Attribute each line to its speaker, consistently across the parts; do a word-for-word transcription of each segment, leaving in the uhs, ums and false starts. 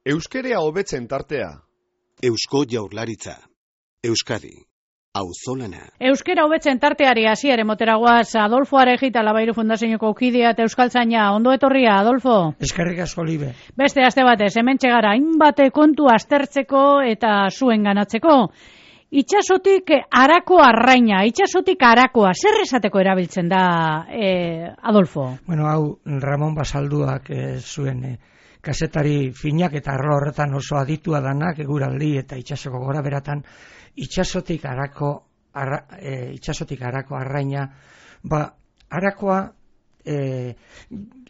Speaker 1: Euskerea hobetzen tartea.
Speaker 2: Eusko Jaurlaritza. Euskadi. Auzolana.
Speaker 3: Euskera hobetzen tarteari hasiere moteragoaz Adolfo Arejita Labairu Fundazioeko kidea eta euskaltzaina. Ondo etorria, Adolfo.
Speaker 4: Eskerrik asko, Libe.
Speaker 3: Beste aste batez, hementxe gara hainbate kontu aztertzeko eta zuen ganatzeko. Itxasotik harako arraina, itxasotik harakoa, zer esateko erabiltzen da, eh, Adolfo?
Speaker 4: Bueno, hau Ramon Basalduak eh, zuen eh, kazetari finak eta arlo horretan oso aditua danak, eguraldi eta itxasoko gora beratan, itxasotik harako, arra, e, itxasotik harako arraina, ba, harakoa, e,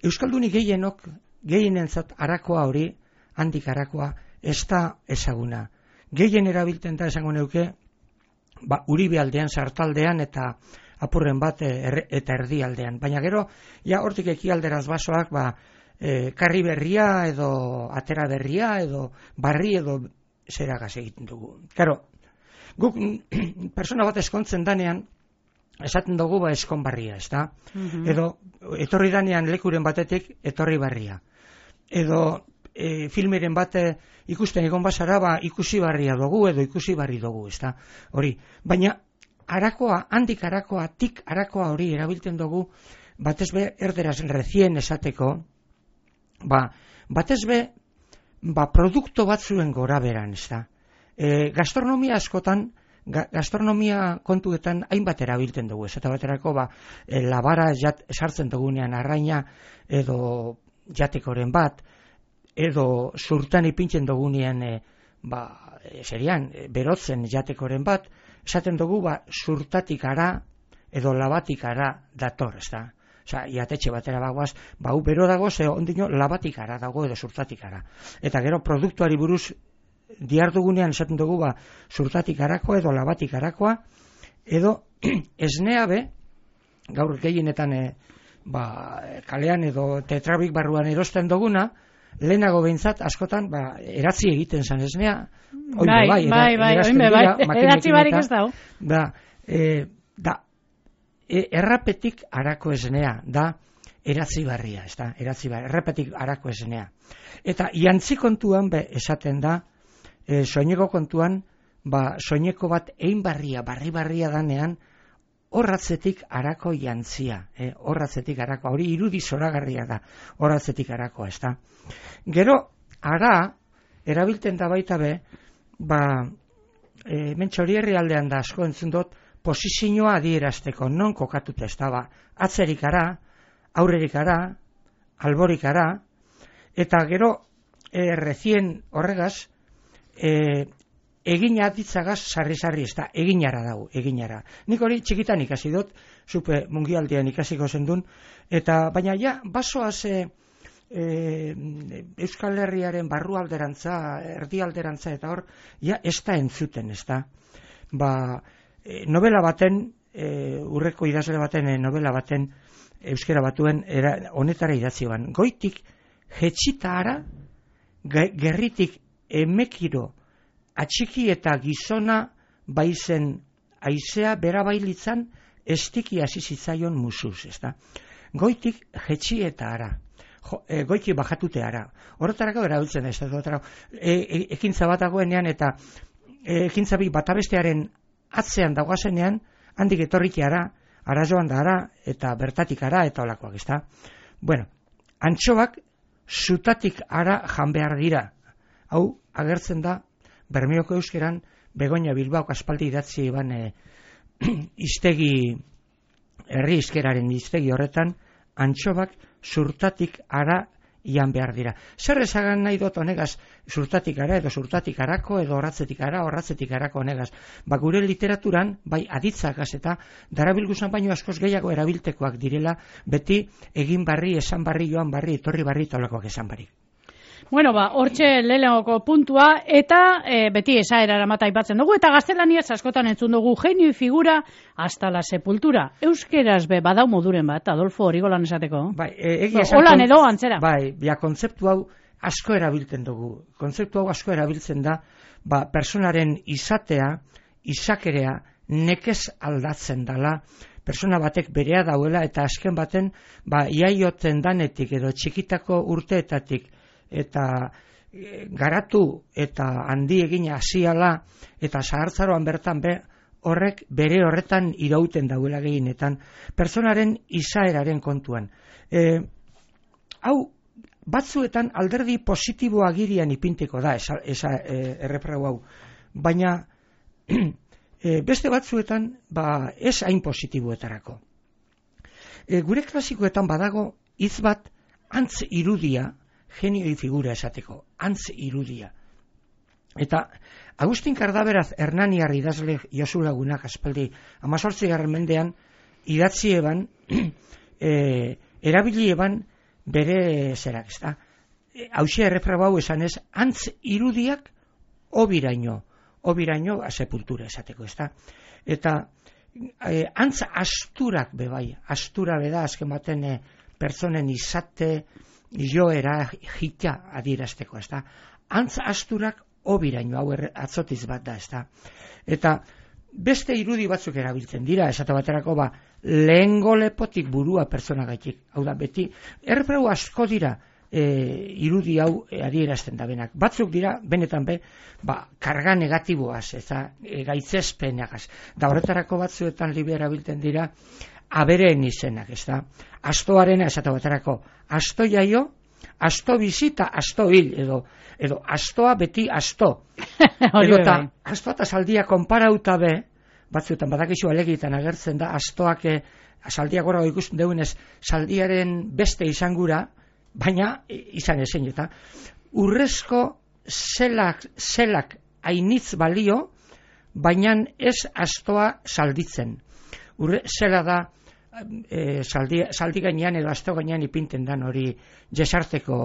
Speaker 4: Euskaldunik gehienok, gehienentzat harakoa hori, handik harakoa, ez da ezaguna. Gehien erabiltzen da esango neuke, ba, Uribe aldean, Sartaldean eta apurren bat er, eta erdialdean. Baina gero, ja hortik ekialderaz basoak, ba, e, karri berria edo atera berria edo barri edo zeragaz egiten dugu. Karo, guk persona bat eskontzen danean, esaten dugu ba eskon barria, ez da? Mm-hmm. Edo, etorri danean lekuren batetik, etorri barria. Edo, e, filmeren bat ikusten egon basara, ba ikusi barria dugu, edo ikusi barri dugu, ez da? Hori, baina, harakoa, handik harakoa, tik harakoa hori erabiltzen dugu, batez be, erderaz recien esateko, ba, batez be, ba, produkto batzuen gora beran, ez da? E, gastronomia askotan, ga, gastronomia kontuetan hainbat erabiltzen dugu, ez eta baterako ba, e, labara jat, sartzen dugunean arraina edo jatekoren bat, edo zurtan ipintzen dugunean e, ba, e, serian, e, berotzen jatekoren bat, esaten dugu ba, zurtatik ara edo labatik ara dator, ez da? Osa, jatetxe batera bagoaz, ba, hu bero dago, ze ondino labatik ara dago edo zurtatik ara. Eta gero produktuari buruz diardugunean esaten dugu ba, zurtatik harakoa edo labatik harakoa, edo esnea be, gaur gehienetan e, ba, kalean edo tetrabik barruan erosten duguna, lehenago behintzat askotan ba, eratzi egiten zan esnea, oin
Speaker 3: bai,
Speaker 4: bai,
Speaker 3: bai, bai, oin bai, eratzi barik ez dau.
Speaker 4: Da, e, da e, errapetik harako esnea, da eratzi barria, ez da, eratzi barria, errapetik harako esnea. Eta jantzi kontuan be, esaten da, E, soineko kontuan, ba, soineko bat ein barria, barri barria danean, horratzetik harako jantzia, eh? horratzetik harako, hori irudi zoragarria da, horratzetik harakoa, ez da. Gero, ara, erabilten da baita be, ba, e, mentxori herri aldean da asko entzun dut, posizioa adierazteko, non kokatuta ez da, ba, atzerik ara, aurrerik ara, alborik ara, eta gero, e, recien horregaz, E, egina ditzagaz sarri-sarri ez da, eginara dago, eginara. Nik hori txikitan ikasi dut, zupe mungialdean ikasiko zendun, eta baina ja, basoaz e, e, Euskal Herriaren barrualderantza, erdialderantza eta hor, ja, ez da entzuten, ez da. Ba, e, novela baten, e, urreko idazle baten, e, novela baten, euskera batuen, era, honetara idatzi ban. Goitik, jetxita ara, gerritik, emekiro atxiki eta gizona baizen aizea bera bailitzan estiki hasi zitzaion musuz, ez da? Goitik jetxi eta ara, jo, e, goiti bajatute ara. Horretarako erabiltzen ez da, e, e, ekintza bat dagoenean eta e, ekintza bi batabestearen atzean dagoazenean, handik etorriki ara, ara joan da ara, eta bertatik ara, eta olakoak, ez da? Bueno, antxoak zutatik ara jan behar dira. Hau, agertzen da, Bermeoko euskeran, Begoña Bilbaok aspaldi idatzi eban e, iztegi, herri izkeraren iztegi horretan, antxobak zurtatik ara ian behar dira. Zer esagan nahi dut honegaz, zurtatik ara edo zurtatik arako edo horratzetik ara, horratzetik arako honegaz. Ba, gure literaturan, bai aditzakaz eta darabilguzan baino askoz gehiago erabiltekoak direla, beti egin barri, esan barri, joan barri, etorri barri, tolakoak esan barri.
Speaker 3: Bueno, ba, hortxe lehenagoko puntua, eta e, beti esaerara mata aipatzen dugu, eta gaztelaniaz askotan entzun dugu genio figura hasta la sepultura. Euskeraz be, badau moduren bat, Adolfo, hori golan esateko?
Speaker 4: Bai, e, egia esan...
Speaker 3: Holan edo, antzera.
Speaker 4: Bai, ja, kontzeptu hau asko erabiltzen dugu. Kontzeptu hau asko erabiltzen da, ba, personaren izatea, izakerea, nekez aldatzen dala, persona batek berea dauela, eta azken baten, ba, iaioten danetik, edo txikitako urteetatik, eta garatu eta handi egin hasiala eta zahartzaroan bertan be, horrek bere horretan irauten dauela gehienetan, pertsonaren izaeraren kontuan. E, hau, batzuetan alderdi positibo agirian ipinteko da, esa, esa e, erreprau hau, baina e, beste batzuetan ba, ez hain positiboetarako. E, gure klasikoetan badago hitz bat antz irudia, genioi figura esateko, antz irudia. Eta Agustin Kardaberaz Hernaniar idazle Josu Lagunak aspaldi hamazortzigarren mendean idatzi eban, e, erabili eban bere zerak, ezta. Hauxe erreprobau esan ez, antz irudiak obiraino, obiraino a sepultura esateko, ezta. Eta e, antz asturak bebai, astura beda azken baten e, pertsonen izate joera jita adierazteko, ezta. Antz asturak obiraino, hau atzotiz bat da, ezta. Eta beste irudi batzuk erabiltzen dira, esate baterako ba, lehengo lepotik burua pertsona gaitik. Hau da, beti, erreprau asko dira e, irudi hau e, adierazten da benak. Batzuk dira, benetan be, ba, karga negatiboaz, eta e, gaitzespenagaz. Da horretarako batzuetan libe erabiltzen dira, abereen izenak, ezta. Astoarena, esate baterako, asto jaio, asto bizita, asto hil, edo, edo astoa beti asto. Edo eta astoa eta saldia konparauta be, batzuetan badakizu alegitan agertzen da, astoak e, saldia gora ikusten dugunez, saldiaren beste izangura, baina izan ezen eta urrezko zelak, zelak ainitz balio, baina ez astoa salditzen. Urre, zela da, E, saldi, saldi gainean edo asto gainean ipinten dan hori jesarteko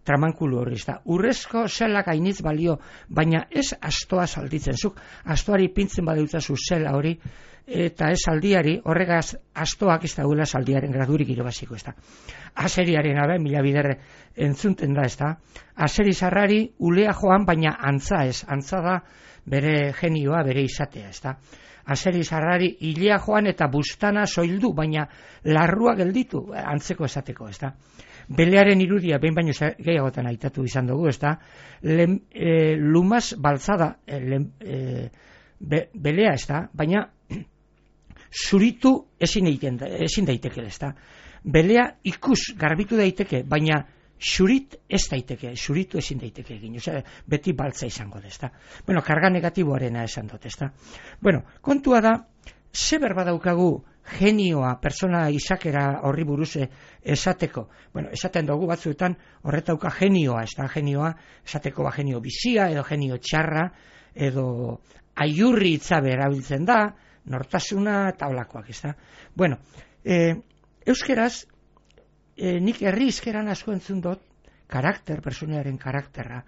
Speaker 4: tramankulu hori, ezta. Urrezko zelak ainitz balio, baina ez astoa salditzen. Zuk astoari ipintzen badeutzazu zela hori, eta ez saldiari, horregaz astoak ez dagoela saldiaren gradurik irabaziko, ezta. Aseriaren abe, mila biderre entzunten da, ezta. Aseri zarrari ulea joan, baina antza ez, antza da bere genioa, bere izatea, ezta. Aseri zarrari hilea joan eta bustana soildu, baina larrua gelditu, antzeko esateko, ezta. Belearen irudia, behin baino gehiagotan aitatu izan dugu, ezta. Lem, e, lumaz baltzada, e, lem, e, be, belea, ezta, baina zuritu ezin, eiten, ezin daiteke, ezta. Belea ikus garbitu daiteke, baina xurit ez daiteke, xuritu ezin daiteke egin, osea, beti baltza izango da, ezta. Bueno, karga negatiboarena esan dut, ezta. Bueno, kontua da, ze berba daukagu genioa, persona izakera horri buruz esateko. Bueno, esaten dugu batzuetan horretauka genioa, ezta, genioa, esateko ba genio bizia, edo genio txarra, edo aiurri itzabe erabiltzen da, nortasuna eta holakoak, ezta. Bueno, e, euskeraz, E, nik herri izkeran asko entzun dut karakter, personearen karakterra,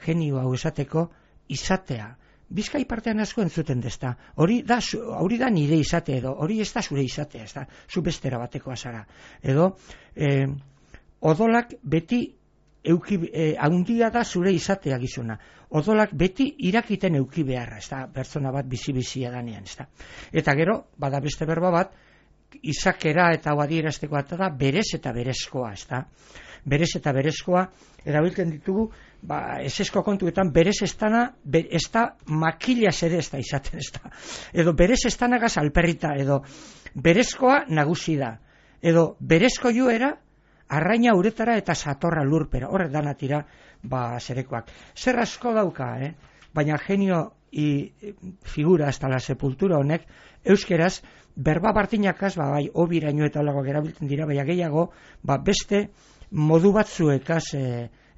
Speaker 4: genio hau esateko izatea. Bizkai partean asko entzuten dezta. Hori da, hori da nire izate edo, hori ez da zure izatea, ez da, zu bestera batekoa zara. Edo, e, odolak beti euki, e, haundia da zure izatea gizuna. Odolak beti irakiten euki beharra, ez da, pertsona bat bizi-bizia danean, ez da. Eta gero, bada beste berba bat, izakera eta adierazteko da berez eta berezkoa, ezta. Berez eta berezkoa erabiltzen ditugu, ba, esesko kontuetan berez estana, be, ez da makilaz ere ez da izaten, ez da. Edo berez estanagaz alperrita, edo berezkoa nagusi da. Edo berezko joera arraina uretara eta satorra lurpera. Horrek danatira, ba, zerekoak. Zer asko dauka, eh? Baina genio i figura hasta la sepultura honek, euskeraz, berba bartinakaz, ba, bai, obiraino eta holakoak erabiltzen dira, baina gehiago, ba, beste modu batzuekaz e,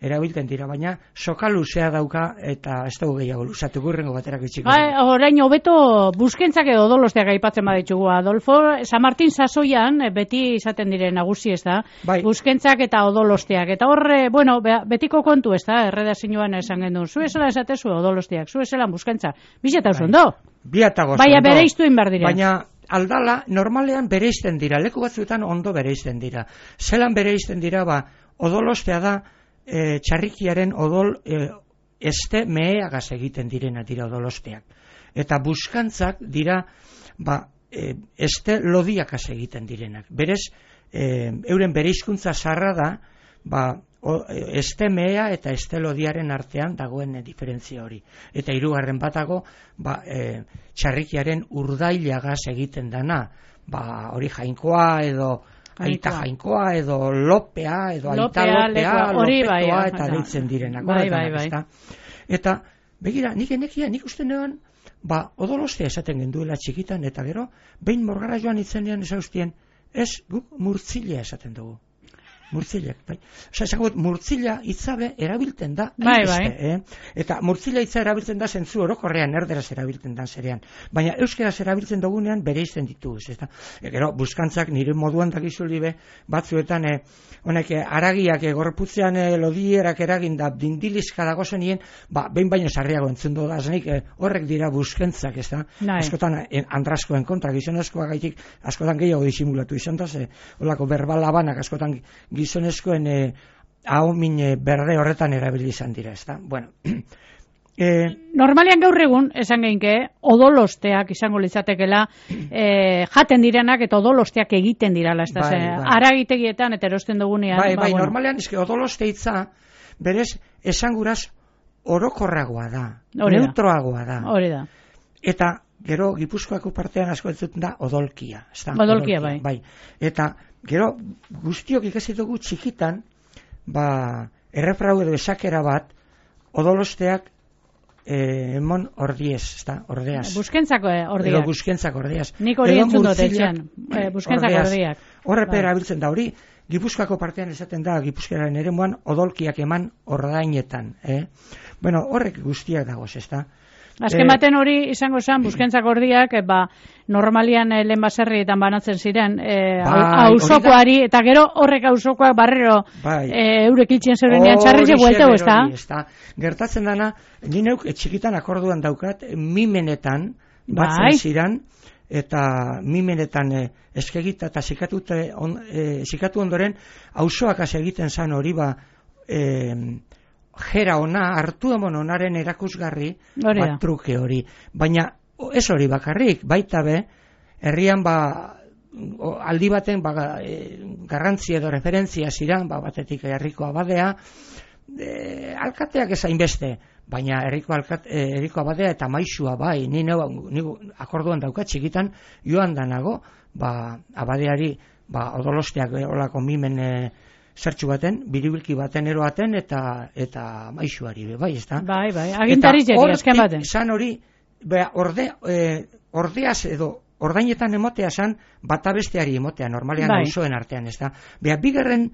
Speaker 4: erabiltzen dira, baina soka luzea dauka eta ez dugu gehiago luzatu gurrengo baterak itxiko.
Speaker 3: Ba, orain hobeto buskentzak edo odolosteak aipatzen baditugu, Adolfo, San Martin sasoian beti izaten diren nagusi, ez da? Bai. Buskentzak eta odolosteak. Eta horre, bueno, betiko kontu, ez da? Erredazioan esan gendu. Zu esela esatezu odolosteak, zu esela buskentzak. Bizeta oso ondo?
Speaker 4: Biatago
Speaker 3: Baina bere iztuin behar diren.
Speaker 4: Baina aldala, normalean bereizten dira, leku batzuetan ondo bereizten dira. Zelan bereizten dira, ba, odolostea da, e, txarrikiaren odol e, este meheagaz egiten direna dira odolosteak. Eta buskantzak dira, ba, e, este lodiakaz egiten direnak. Berez, e, euren bereizkuntza zarra da, ba, o, estemea eta estelodiaren artean dagoen diferentzia hori. Eta hirugarren batago, ba, e, txarrikiaren urdailagaz egiten dana, ba, hori jainkoa edo aita jainkoa edo lopea edo aita lopea, lopetoa eta deitzen direnak.
Speaker 3: Bai, bai, bai.
Speaker 4: Eta, begira, nik enekia, nik uste nean, ba, odolostea esaten genduela txikitan, eta gero, behin morgara joan itzenean esauztien, ez, guk murtzilea esaten dugu. Murtzilek, bai. Osa, esango, murtzila hitzabe erabiltzen da.
Speaker 3: Bai, bai.
Speaker 4: Eh? Eta murtzila hitza erabiltzen da zentzu orokorrean, erderaz erabiltzen da zerean. Baina euskeraz erabiltzen dugunean bere izten ditugu. Ez da? E, gero, buskantzak nire moduan dakizuli be, batzuetan, eh, honek, eh, aragiak eh, gorputzean eh, lodierak eragin da, dindilizka dago zenien, ba, behin baino sarriago entzundo da, zenik, eh, horrek dira buskentzak, ez da? Askotan, eh, andraskoen kontra, gizonezkoa gaitik, askotan gehiago disimulatu izan da, ze, holako berbalabanak askotan gizonezkoen eh, ahomin eh, berde horretan erabili izan dira, ezta? Bueno, eh,
Speaker 3: normalean gaur egun, esan geinke, odolosteak izango litzatekela, eh, jaten direnak eta odolosteak egiten dirala, ezta?
Speaker 4: Bai, bai.
Speaker 3: Aragitegietan eta erosten dugunean.
Speaker 4: Bai, bai,
Speaker 3: ba, bueno.
Speaker 4: normalean, eske odoloste hitza, berez, esanguraz orokorragoa da,
Speaker 3: Hori da.
Speaker 4: neutroagoa da.
Speaker 3: Hori da.
Speaker 4: Eta, gero, Gipuzkoako partean asko entzuten da odolkia, ezta?
Speaker 3: Odolkia, bai.
Speaker 4: Bai. Eta, gero, guztiok ikasi dugu txikitan, ba, errefrau edo esakera bat, odolosteak eh, emon ordiez, ezta, ordeaz.
Speaker 3: Buskentzako eh, ordiak.
Speaker 4: Edo buskentzako ordeaz.
Speaker 3: Nik hori entzun dut etxean, eh, buskentzako ordiak.
Speaker 4: Horrepe erabiltzen da hori, Gipuzkoako partean esaten da, Gipuzkeraren eremuan, odolkiak eman ordainetan. Eh? Bueno, horrek guztiak dagoz, ezta?
Speaker 3: Azken baten hori izango zen, buskentzak ordiak, e, ba, normalian e, lehen baserrietan banatzen ziren, e,
Speaker 4: bai,
Speaker 3: auzokoari, eta gero horrek auzokoak barrero
Speaker 4: bai.
Speaker 3: e, eurek iltzen zerenean txarrize buelteu, ez da?
Speaker 4: Gertatzen dana, ni neuk txikitan akorduan daukat, mimenetan, batzen
Speaker 3: bai.
Speaker 4: ziren, eta mimenetan e, eskegita eta zikatu, on, e, zikatu ondoren, auzoakaz egiten zan hori ba, e, jera ona, hartu emon onaren erakusgarri, bat truke hori. Baina ez hori bakarrik, baita be, herrian ba, o, aldi baten ba, e, garrantzi edo referentzia ziran, ba, batetik herriko abadea, e, alkateak ezain beste, baina herriko, alkat, e, herriko abadea eta maisua bai, ni, neu, ni akorduan daukat txikitan, joan danago, ba, abadeari, ba, odolosteak e, olako mimen e, zertxu baten, biribilki baten eroaten eta eta maisuari be, bai, ezta?
Speaker 3: Bai, bai, agintari jeri, azken baten.
Speaker 4: Zan hori, bea, orde, e, ordeaz edo ordainetan emotea zan, bata besteari emotea, normalean bai. Auzoen artean, ezta? Bea, bigarren,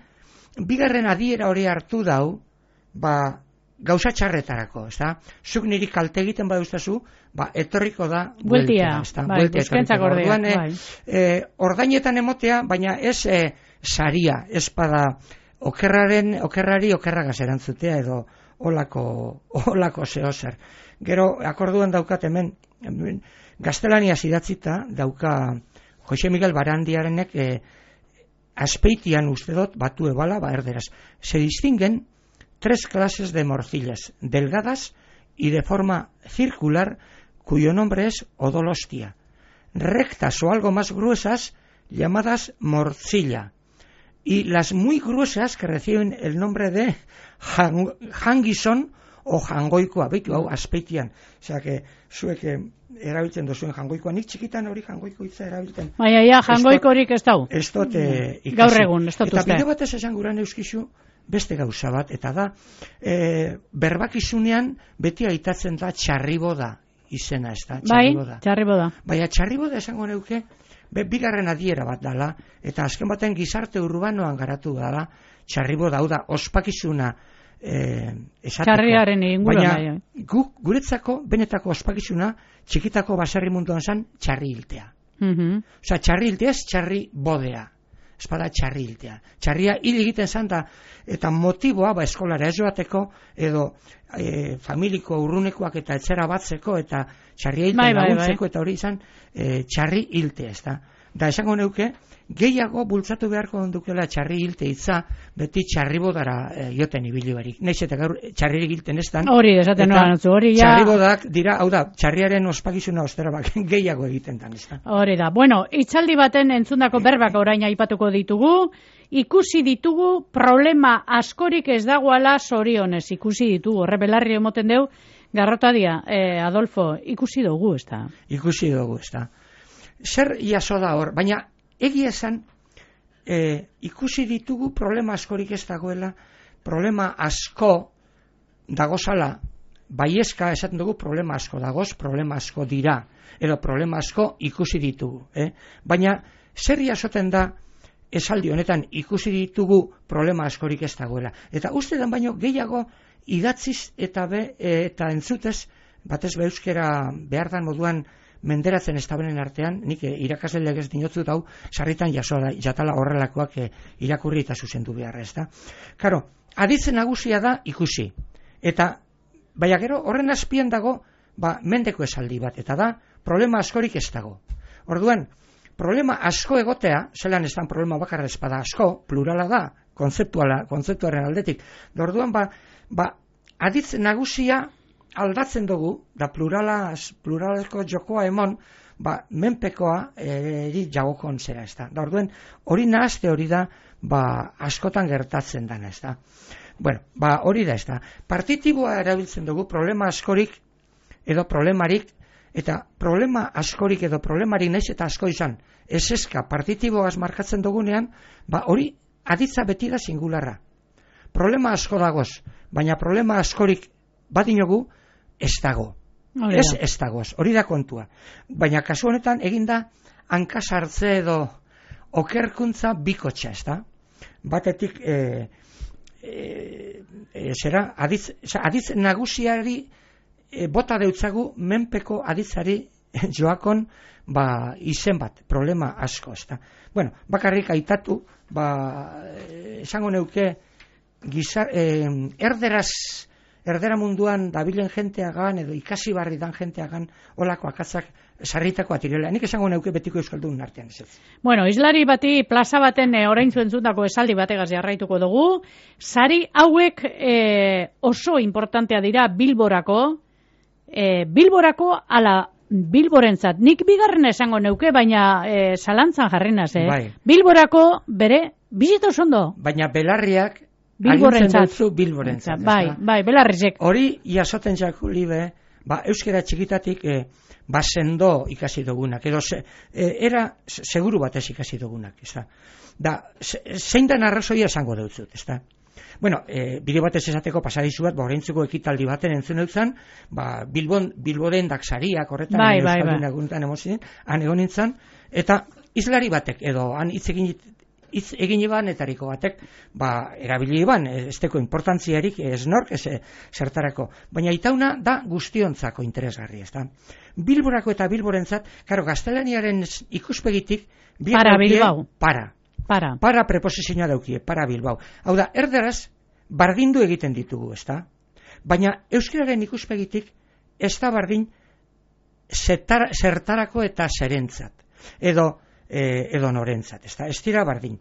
Speaker 4: bigarren adiera hori hartu dau, ba, gauza txarretarako, ezta? Zuk niri kalte egiten baduztazu, ba, etorriko da
Speaker 3: bueltia,
Speaker 4: ezta?
Speaker 3: Bai, buskentzak ordea, bai.
Speaker 4: E, ordainetan emotea, baina ez e, saria, espada okerraren, okerrari okerragaz erantzutea edo olako, olako zehozer. Gero, akorduan daukat hemen, hemen gaztelaniaz idatzita dauka Jose Miguel Barandiarenek e, azpeitian uste dut batu ebala, ba erderaz. Se distinguen tres clases de morcillas, delgadas y de forma circular, cuyo nombre es odolostia. Rectas o algo más gruesas, llamadas morcilla. Y las muy gruesas que reciben el nombre de hang, hangison o jangoikoa, beitu hau azpeitian. Osea, que zuek erabiltzen duzuen jangoikoa, nik txikitan hori jangoiko hitza erabiltzen.
Speaker 3: Baina, ja, jangoikorik ez dau.
Speaker 4: Ez dut eh, ikasi.
Speaker 3: Gaur egun, ez dut uste.
Speaker 4: Eta bide batez esan guran euskizu, beste gauza bat, eta da, e, berbakizunean beti aitatzen da txarriboda izena, ez da?
Speaker 3: Txarriboda. Bai, txarriboda.
Speaker 4: Baina txarriboda esango neuke, be, bigarren adiera bat dala, eta azken baten gizarte urbanoan garatu dala, txarriboda, hau da, ospakizuna e, esateko.
Speaker 3: Txarriaren inguruan.
Speaker 4: Baina, gu, guretzako, benetako ospakizuna, txikitako baserri munduan zan, txarri hiltea.
Speaker 3: Mm-hmm.
Speaker 4: Osa, txarri hiltea ez txarri bodea. Espada txarri hiltea. Txarria hil egiten zan da, eta motiboa, ba, eskolara ez joateko, edo e, familiko urrunekoak eta etxera batzeko, eta txarria hiltea
Speaker 3: bai, bai,
Speaker 4: laguntzeko,
Speaker 3: bai.
Speaker 4: eta hori izan, e, txarri hiltea, ez da. Da esango neuke, gehiago bultzatu beharko dukela txarri hilte hitza, beti txarribodara e, joten ibili barik. Naiz eta gaur txarririk hilten ez dan.
Speaker 3: Hori, esaten noan, hori ja...
Speaker 4: Txarribodak dira, hau da, txarriaren ospakizuna ostera bak, gehiago egiten dan, ez da.
Speaker 3: Hori da. Bueno, hitzaldi baten entzundako berbak orain aipatuko ditugu, ikusi ditugu problema askorik ez dagoala zorionez, ikusi ditugu, horre belarri emoten deu, Garrotadia, eh, Adolfo, ikusi dugu, ez da?
Speaker 4: Ikusi dugu, ez da. Zer jaso da hor, baina egia esan, e, ikusi ditugu problema askorik ez dagoela, problema asko dagozala, baiezka esaten dugu problema asko dagoz, problema asko dira, edo problema asko ikusi ditugu. Eh? Baina zer jasoten da esaldi honetan ikusi ditugu problema askorik ez dagoela. Eta uste den baino gehiago idatziz eta, be, e, eta entzutez, batez be euskera behar dan moduan menderatzen ez tabenen artean, nik e, irakasle legez dinotzut hau, sarritan jaso da, jatala horrelakoak e, irakurri eta zuzendu beharra, ez da. Karo, aditzen nagusia da ikusi. Eta, baina gero, horren azpian dago, ba, mendeko esaldi bat, eta da, problema askorik ez dago. Orduan, problema asko egotea, zelan ez dan problema bakarra espada asko, plurala da, kontzeptuala, kontzeptuaren aldetik. Da orduan, ba, ba, aditz nagusia aldatzen dugu, da plurala, pluraleko jokoa emon, ba, menpekoa eri jagokon zera, ez da. Da orduan, hori nahazte hori da, ba, askotan gertatzen dana, ez da. Bueno, ba, hori da, ez da. Partitiboa erabiltzen dugu, problema askorik edo problemarik, eta problema askorik edo problemarik naiz eta asko izan, ez eska partitiboaz markatzen dugunean, ba, hori aditza beti da singularra. Problema asko dagoz, baina problema askorik badinogu, ez dago. Ez, ez dagoz, hori da kontua. Baina kasu honetan eginda hankasartze edo okerkuntza bikotxa, ez da? Batetik, e, e, e, zera, aditz, aditz nagusiari e, bota deutzagu menpeko aditzari joakon ba, izen bat, problema asko, ez da? Bueno, bakarrik aitatu, ba, esango neuke, gizar, e, erderaz erdera munduan dabilen jenteagan edo ikasi barri dan jenteagan olako akatzak sarritako atirela. Nik esango neuke betiko euskaldun artean ez.
Speaker 3: Bueno, islari bati plaza baten e, orain zuentzundako esaldi bategaz jarraituko dugu. Sari hauek e, oso importantea dira Bilborako, e, Bilborako ala Bilborentzat. Nik bigarren esango neuke, baina e, zalantzan jarrinaz, eh?
Speaker 4: Bai.
Speaker 3: Bilborako bere bizito ondo.
Speaker 4: Baina belarriak
Speaker 3: Bilborentzat.
Speaker 4: Bilborentzat.
Speaker 3: Bai, bai, belarrizek.
Speaker 4: Hori jasoten jako libe, ba, euskera txikitatik e, ba sendo ikasi dugunak, edo se, e, era seguru batez ikasi dugunak, ez da. Da, se, zein den arrazoia esango deutzut, ez da. Bueno, e, bide batez esateko pasadizu bat, ba, oraintzuko ekitaldi baten entzun eutzan, ba, Bilbon, Bilboden daksariak horretan,
Speaker 3: bai, bai, bai.
Speaker 4: Eguntan emozien, han egon nintzen, eta islari batek, edo han hitz egin hitz egin iban etariko batek, ba, erabili iban, ez teko importantziarik, ez nork, ez zertarako. Baina itauna da guztiontzako interesgarri, ez da. Bilborako eta Bilborentzat, karo, gaztelaniaren ikuspegitik,
Speaker 3: para Bilbao.
Speaker 4: Para.
Speaker 3: Para.
Speaker 4: Para preposizioa daukie, para Bilbao. Hau da, erderaz, bardindu egiten ditugu, ez da. Baina euskararen ikuspegitik, ez da bardin zetar, zertarako eta zerentzat. Edo, E, edo norentzat, ez da, ez dira bardin.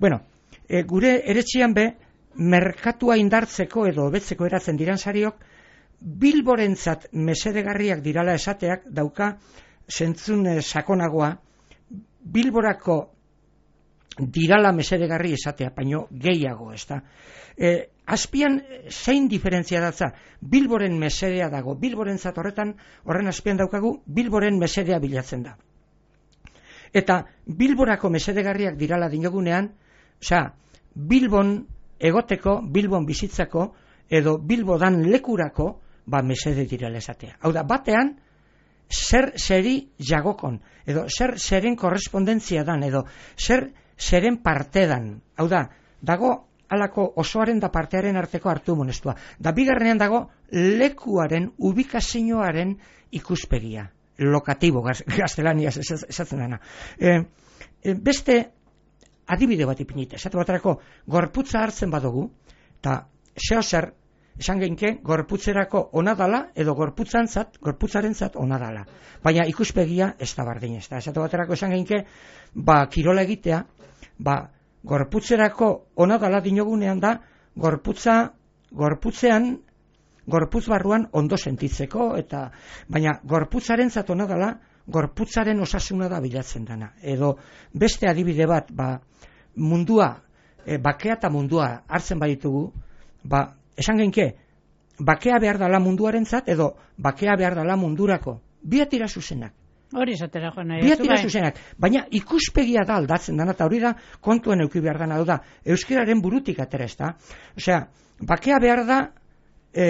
Speaker 4: Bueno, e, gure eretxian be, merkatua indartzeko edo hobetzeko eratzen diran sariok, Bilborentzat mesedegarriak dirala esateak dauka zentzun e, sakonagoa, Bilborako dirala mesedegarri esatea, baino gehiago, ez da. E, azpian zein diferentzia datza, Bilboren mesedea dago, Bilborentzat horretan, horren azpian daukagu, Bilboren mesedea bilatzen da. Eta Bilborako mesedegarriak dirala dinogunean, osea, Bilbon egoteko, Bilbon bizitzako, edo Bilbodan lekurako, ba, mesede direla esatea. Hau da, batean, zer zeri jagokon, edo zer zeren korrespondentzia dan, edo zer zeren parte dan. Hau da, dago alako osoaren da partearen arteko hartu monestua. Da, bigarrenean dago lekuaren, ubikazioaren ikuspegia. Lokatibo, gaztelaniaz esatzen dena. E, e, beste adibide bat ipinite, esatu baterako gorputza hartzen badugu, eta zeo zer esan genke, gorputzerako ona dala, edo gorputzantzat, gorputzarentzat ona dala. Baina ikuspegia ez da bardin, ez da. Esatu baterako esan genke, ba, kirola egitea, ba, gorputzerako ona dala dinogunean da, gorputza, gorputzean, gorputz barruan ondo sentitzeko, eta, baina gorputzarentzat ona dala, gorputzaren osasuna da bilatzen dana. Edo beste adibide bat, ba, mundua, e, bakea eta mundua hartzen baditugu, ba, esan genke, bakea behar dala munduarentzat, edo bakea behar dala mundurako. Biatira zuzenak.
Speaker 3: Hori esatera joan nahi.
Speaker 4: Biatira zuzenak. Baina ikuspegia da aldatzen dana, eta hori da kontuen euki behar dana, da, euskararen burutik atera ez da. Osea, bakea behar da e,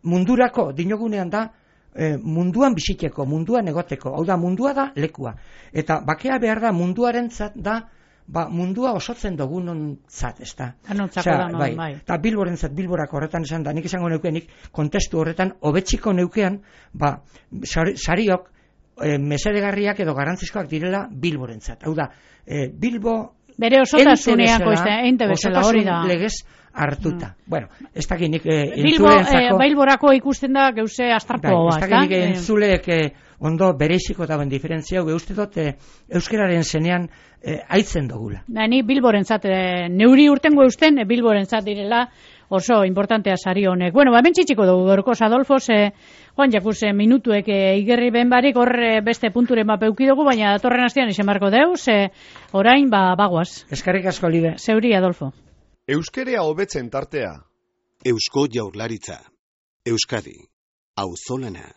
Speaker 4: mundurako, dinogunean da, e, munduan biziteko, munduan egoteko. Hau da, mundua da lekua. Eta bakea behar da munduarentzat da, ba, mundua osotzen dugunontzat, ez da.
Speaker 3: Anontzako da, bai. bai.
Speaker 4: Eta bilborentzat, bilborako horretan esan da, nik izango neukenik, kontestu horretan, hobetziko neukean, ba, sari, sariok, e, mesedegarriak edo garrantzizkoak direla bilborentzat. Hau da, e, Bilbo...
Speaker 3: Bere osotasunean koizte, einte bezala hori da.
Speaker 4: Legez hartuta. Mm. Bueno, ez dakit nik e,
Speaker 3: Bilbo, e, Bilborako ikusten da geuse astartua,
Speaker 4: ez dakit nik entzuleek e, ondo bereiziko dauen diferentzia, hau uste dut e, euskararen zenean e, aitzen dugula.
Speaker 3: Da, ni Bilborentzat, e, neuri urtengo eusten, e, Bilborentzat direla oso importantea sari honek. Bueno, hemen txitxiko dugu, gorkoz Adolfos, e, Juan Jakuz, e, minutuek e, igerri ben barik, hor e, beste punturen bat peuki dugu, baina datorren astean izen barko deuz, e, orain, ba, bagoaz.
Speaker 4: Eskarrik asko, Libe.
Speaker 3: Zeuri, Adolfo.
Speaker 1: Euskerea hobetzen tartea.
Speaker 2: Eusko Jaurlaritza. Euskadi. Auzolana.